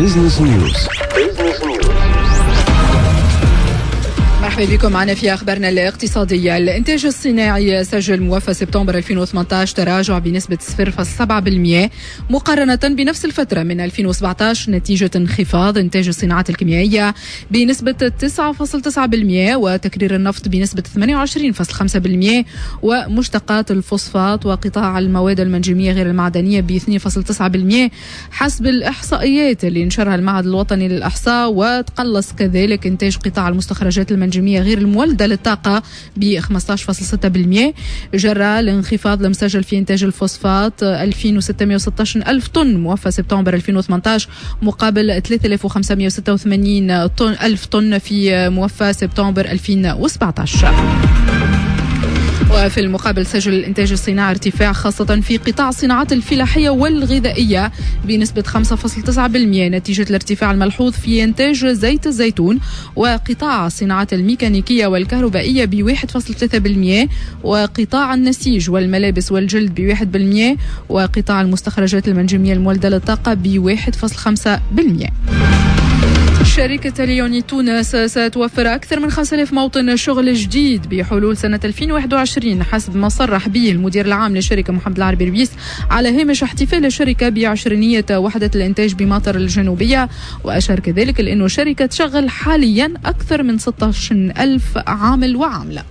Business News. مرحبا بكم معنا في أخبارنا الاقتصادية. الإنتاج الصناعي سجل موفى سبتمبر 2018 تراجع بنسبة 0.7% مقارنة بنفس الفترة من 2017، نتيجة انخفاض إنتاج الصناعات الكيميائية بنسبة 9.9% وتكرير النفط بنسبة 28.5% ومشتقات الفوسفات وقطاع المواد المنجمية غير المعدنية ب 2.9% حسب الإحصائيات اللي نشرها المعهد الوطني للإحصاء. وتقلص كذلك إنتاج قطاع المستخرجات المنجمية غير المولدة للطاقة ب 15.6% جرى الانخفاض المسجل في إنتاج الفوسفات 2616 ألف طن موفى سبتمبر 2018 مقابل 3586 ألف طن في موفى سبتمبر 2017. وفي المقابل سجل الإنتاج الصناعي ارتفاع خاصة في قطاع الصناعات الفلاحية والغذائية بنسبة 5.9% نتيجة الارتفاع الملحوظ في إنتاج زيت الزيتون، وقطاع الصناعات الميكانيكية والكهربائية ب 1.3% وقطاع النسيج والملابس والجلد ب 1% وقطاع المستخرجات المنجمية المولدة للطاقة ب 1.5%. شركة ليوني تونس ستوفر أكثر من 5000 موطن شغل جديد بحلول سنة 2021 حسب ما صرح به المدير العام للشركة محمد العربي ربيس على هامش احتفال الشركة بعشرينية وحدة الإنتاج بماطر الجنوبية. وأشار كذلك لأنه الشركة تشغل حاليا أكثر من 16,000 عامل وعاملة.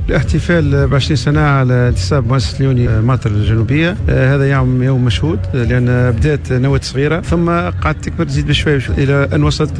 الاحتفال ب 20 سنة على انتساب مؤسسة ليوني ماطر الجنوبية، هذا يوم مشهود، لأن بدأت نواة صغيرة ثم قعدت تكبر تزيد بشوية إلى أن وصلت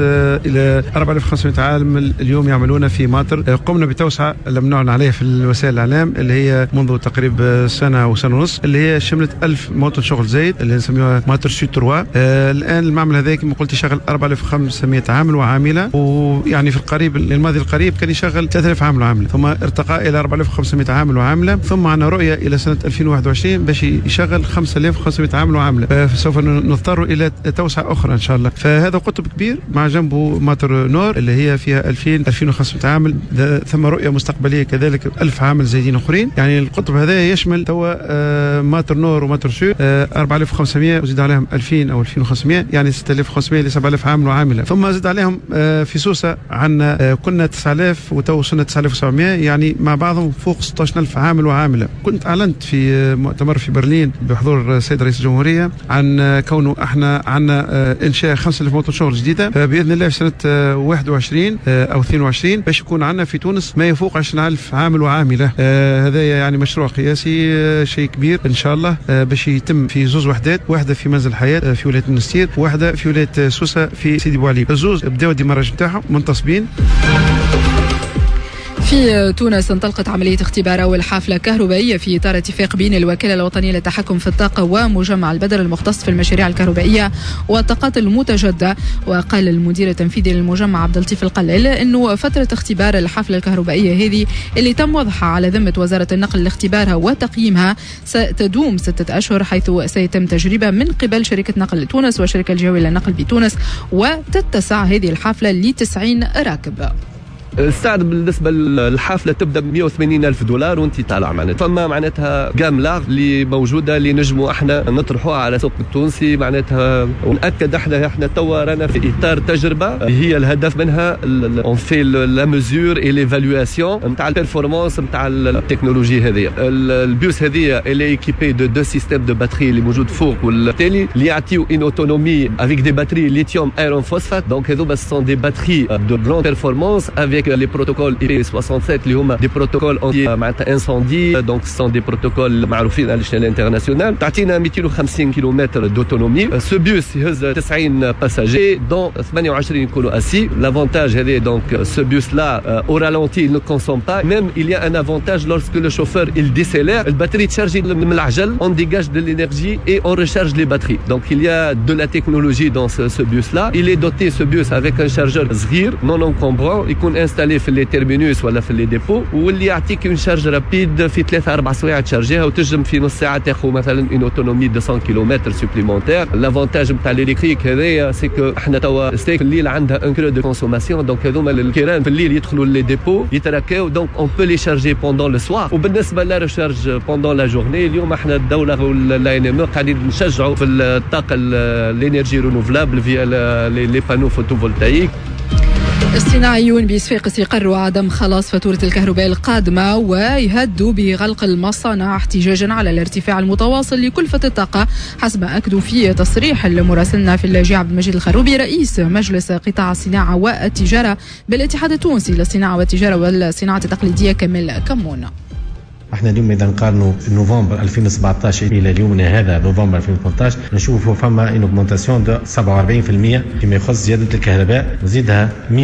إلى 4500 عامل اليوم يعملون في ماطر. قمنا بتوسعة لم نعلن عليها في الوسائل الإعلام اللي هي منذ تقريبا سنة وسنة ونص، اللي هي شملت 1000 موطن شغل زايد اللي نسميوها ماطر Sud 3. الآن المعمل هذا كما قلت يشغل 4500 عامل وعاملة، ويعني في القريب الماضي القريب كان يشغل 3000 عامل وعاملة، ثم ارتقى إلى 4500 عامل وعاملة، ثم عندنا رؤية إلى سنة 2021 باش يشغل 5500 عامل وعاملة، فسوف نضطر إلى توسعة أخرى إن شاء الله. فهذا قطب كبير مع جنبه ماطر Nord اللي هي فيها 2000 2500 عامل، ثم رؤية مستقبلية كذلك 1000 عامل زايدين أخرين. يعني القطب هذا يشمل توا ماطر Nord وماطر Sud 4500 وزيد عليهم 2000 أو 2500، يعني 6500 ل 7000 عامل وعاملة. ثم زيد عليهم في سوسة عندنا كنا 9000 وتو وصلنا 9700، يعني مع بعضهم فوق 16000 عامل وعاملة. كنت أعلنت في مؤتمر في برلين بحضور السيد رئيس الجمهورية عن كونه احنا عندنا إنشاء 5000 موطن شغل جديدة، فبإذن الله في سنة 21 أو 22 باش يكون عندنا في تونس ما يفوق 20000 عامل وعاملة. هذا يعني مشروع قياسي، شيء كبير إن شاء الله، باش يتم في زوز وحدات، واحدة في منزل الحياة في ولاية المنستير، وواحدة في ولاية سوسة في سيدي بوعلي. الزوز بداوا ال démarrage نتاعهم منتصبين. في تونس انطلقت عملية اختبار أول حافلة كهربائية في إطار اتفاق بين الوكالة الوطنية للتحكم في الطاقة ومجمع البدر المختص في المشاريع الكهربائية والطاقات المتجددة. وقال المدير التنفيذي للمجمع عبد اللطيف القلال أنه فترة اختبار الحافلة الكهربائية هذه اللي تم وضعها على ذمة وزارة النقل لاختبارها وتقييمها ستدوم 6 أشهر، حيث سيتم تجربة من قبل شركة نقل تونس والشركة الجهوية للنقل بتونس، وتتسع هذه الحافلة ل 90 راكب. السعر بالنسبة للحافله تبدا ب 180 الف دولار وانت طالع، معناتها فما معناتها gamme large اللي موجودة اللي نجموا احنا نطرحوها على السوق التونسي. معناتها ونأكد احنا توا رانا في اطار تجربه هي الهدف منها on fait la mesure et l'évaluation نتاع ال performance نتاع التكنولوجي هذه. البيوس هذه elle est équipée de deux systèmes de batteries اللي موجود فوق والتالي، اللي يعطيو une autonomie avec des batteries lithium iron phosphate، donc هذوما sont des batteries de grande performance avec les protocoles IP67 اللي هما des protocoles anti معناتها incendie، donc sont des protocoles معروفين على l'échelle internationale. تعطينا 250 كيلومتر d'autonomie. ce bus يهز 90 passagers dont 28 يكونوا assis. l'avantage هذا donc ce bus là au ralenti il ne consomme pas، même il y a un avantage lorsque le chauffeur il décélère، ال batterie تشارجي من العجل، on dégage de l'énergie et on recharge les batteries، donc il y a de la technologie dans ce bus là. il est doté ce bus avec un chargeur صغير non encombrant يكون installé installé في les terminus ولا في les dépôts، واللي يعطيك une charge rapide في 3 4 سوايع تشارجيها، وتنجم في نص ساعة تاخذ مثلا une autonomie 200 kilomètres supplémentaires. l'avantage نتاع l'électrique هذايا c'est que احنا توا STEG في الليل عندها un creux de consommation، donc هذوما الكيران في الليل يدخلوا les dépôts يتراكاو، donc on peut les charger pendant le soir. وبالنسبة la recharge pendant la journée، اليوم احنا الدولة و l'ANME قاعدين نشجعوا في الطاقة l'énergie renouvelable via les panneaux photovoltaïques. الصناعيون بصفاقس يقروا عدم خلاص فاتورة الكهرباء القادمة ويهدوا بغلق المصانع احتجاجا على الارتفاع المتواصل لكلفة الطاقة، حسب ما أكدوا في تصريح لمراسلنا في الجهة عبد المجيد الخروبي رئيس مجلس قطاع الصناعة والتجارة بالاتحاد التونسي للصناعة والتجارة والصناعة التقليدية كمال كمون. احنا اليوم اذا نقارنوا نوفمبر 2017 الى اليومنا هذا نوفمبر 2018 نشوفوا فما une augmentation de 47% فيما يخص زيادة الكهرباء، وزيدها 100%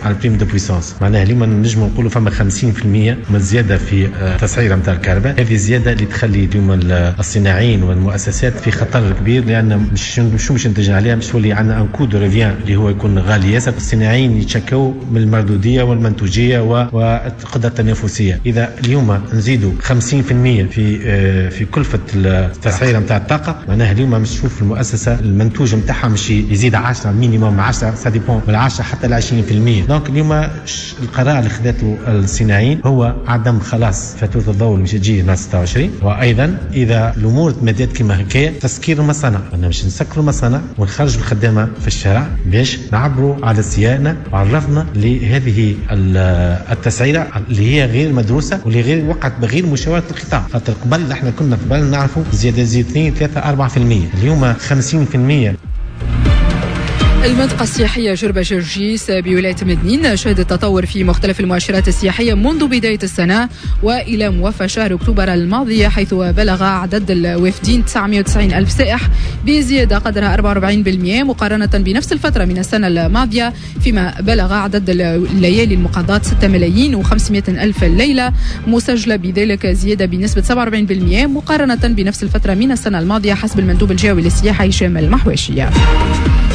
على ال prime de puissance. معناها اليوم نجم نقولوا فما 50% من الزيادة في التسعيره نتاع الكهرباء. هذه الزيادة اللي تخلي اليوم الصناعيين والمؤسسات في خطر كبير، لان مش نتج عليها، مش تولي عندنا un coût de revient اللي هو يكون غالي ياسر. الصناعيين يتشكوا من المردوديه والمنتوجيه والقدرة التنافسية. اذا اليوم نزيد 50% في كلفه التسعيره نتاع الطاقة، معناها اليوم مش تشوف المؤسسة المنتوج نتاعها مش يزيد 10 minimum 10، ça dépend من 10 حتى ل 20%. donc اليوم القرار اللي خذته الصناعيين هو عدم خلاص فاتورة الضوء اللي مش تجي نهار 26، وايضا اذا الامور تمدت كما هكايا تسكير المصانع، انا مش نسكروا المصانع ونخرجوا الخدامة في الشارع باش نعبروا على استيائنا وعرفنا لهذه التسعيره اللي هي غير مدروسة واللي غير وقعت بغير مشاورة القطاع. خاطر قبل احنا كنا قبل نعرفوا زيادة زيد 2 3 4%، اليوم 50%. المنطقة السياحية جربة جرجيس بولاية مدنين شهدت تطور في مختلف المؤشرات السياحية منذ بداية السنة وإلى موفى شهر أكتوبر الماضي، حيث بلغ عدد الوافدين 990 ألف سائح بزيادة قدرها 44% مقارنة بنفس الفترة من السنة الماضية، فيما بلغ عدد الليالي المقضاة 6,500,000 ليلة مسجلة بذلك زيادة بنسبة 47% مقارنة بنفس الفترة من السنة الماضية حسب المندوب الجهوي للسياحة هشام المحواشية.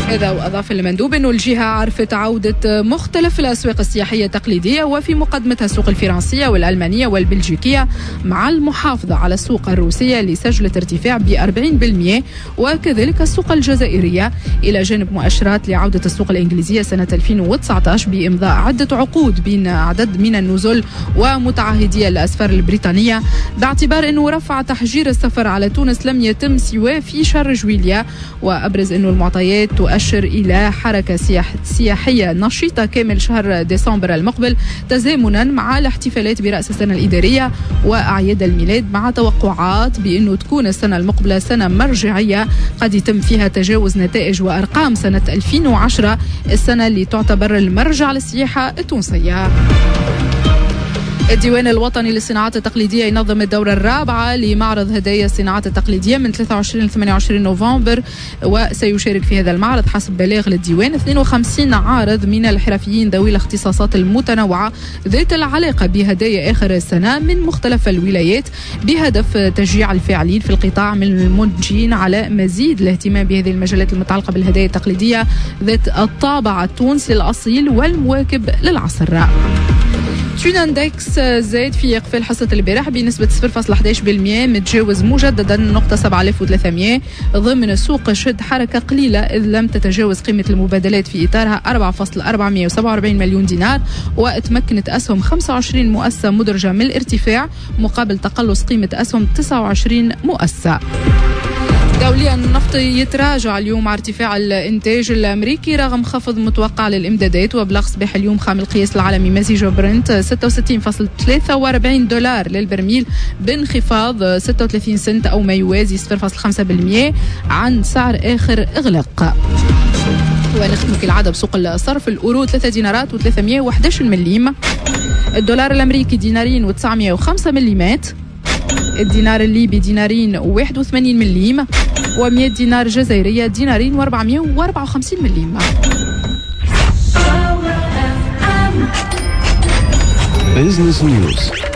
هذا وأضاف المندوب أن الجهة عرفت عودة مختلف الأسواق السياحية التقليدية وفي مقدمتها السوق الفرنسية والألمانية والبلجيكية، مع المحافظة على السوق الروسية اللي سجلت ارتفاع ب 40%، وكذلك السوق الجزائرية، إلى جانب مؤشرات لعودة السوق الإنجليزية سنة 2019 بإمضاء عدة عقود بين عدد من النزل ومتعهدي الأسفار البريطانية، باعتبار أنه رفع تحجير السفر على تونس لم يتم سوى في شهر جويليا. وأبرز أنه المعطيات تؤشر إلى حركة سياحية نشيطة كامل شهر ديسمبر المقبل، تزامنا مع الاحتفالات برأس السنة الإدارية وأعياد الميلاد، مع توقعات بأنه تكون السنة المقبلة سنة مرجعية قد يتم فيها تجاوز نتائج وأرقام سنة 2010، السنة اللي تعتبر المرجع للسياحة التونسية. الديوان الوطني للصناعات التقليدية ينظم الدورة الرابعة لمعرض هدايا الصناعات التقليدية من 23 ل 28 نوفمبر، وسيشارك في هذا المعرض حسب بلاغ للديوان 52 عارض من الحرفيين ذوي الاختصاصات المتنوعة ذات العلاقة بهدايا آخر السنة من مختلف الولايات، بهدف تشجيع الفاعلين في القطاع من المنتجين على مزيد الاهتمام بهذه المجالات المتعلقة بالهدايا التقليدية ذات الطابع التونسي الأصيل والمواكب للعصر. Tunindex زاد في إقفال حصة البارح بنسبة 0.11%، متجاوز مجددا نقطة 7300 ضمن السوق شد حركة قليلة إذ لم تتجاوز قيمة المبادلات في إطارها 4.447 مليون دينار، وتمكنت أسهم 25 مؤسسة مدرجة من الارتفاع مقابل تقلص قيمة أسهم 29 مؤسسة. دوليا النفط يتراجع اليوم مع ارتفاع الانتاج الامريكي رغم خفض متوقع للامدادات، وبلغ صباح اليوم خام القياس العالمي مزيج برنت 66.43 دولار للبرميل بانخفاض 36 سنت او ما يوازي 0.5% عن سعر اخر اغلاق. ونختم كالعادة بسوق الصرف، الاورو 3 دينارات و311 مليم، الدولار الامريكي دينارين و905 مليمات، الدينار الليبي دينارين و81 مليم، و100 دينار جزائرية دينارين و454 مليم. Business News.